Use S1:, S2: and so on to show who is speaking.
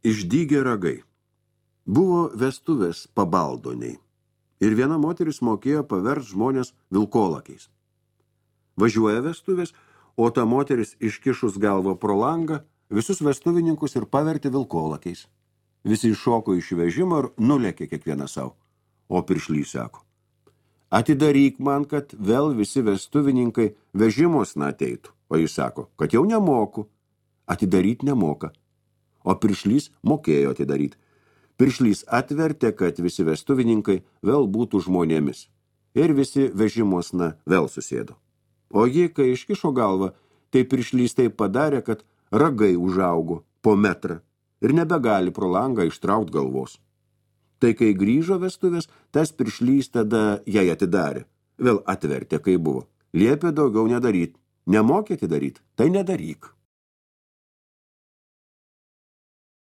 S1: Išdygė ragai. Buvo vestuvės pabaldoniai. Ir viena moteris mokėjo paverst žmonės vilkolakiais. Važiuoja vestuvės, o ta moteris iškišus galvą pro langą visus vestuvininkus ir pavertė vilkolakiais. Visi iššoko iš vežimo ir nulėkė kiekvieną savo. O piršlys sako, atidaryk man, kad vėl visi vestuvininkai vežimos ateitų. O jis sako, kad jau nemoku. Atidaryt nemoka. O piršlys mokėjo atidaryti. Piršlys atvertė, kad visi vestuvininkai vėl būtų žmonėmis. Ir visi vežimosna vėl susėdo. O ji, kai iškišo galvą, tai piršlys taip padarė, kad ragai užaugo po metrą ir nebegali pro langą ištraukti galvos. Tai kai grįžo vestuvės, tas piršlys tada jai atidarė. Vėl atvertė, kai buvo. Liepė daugiau nedaryt. Nemokė atidaryt, tai nedaryk.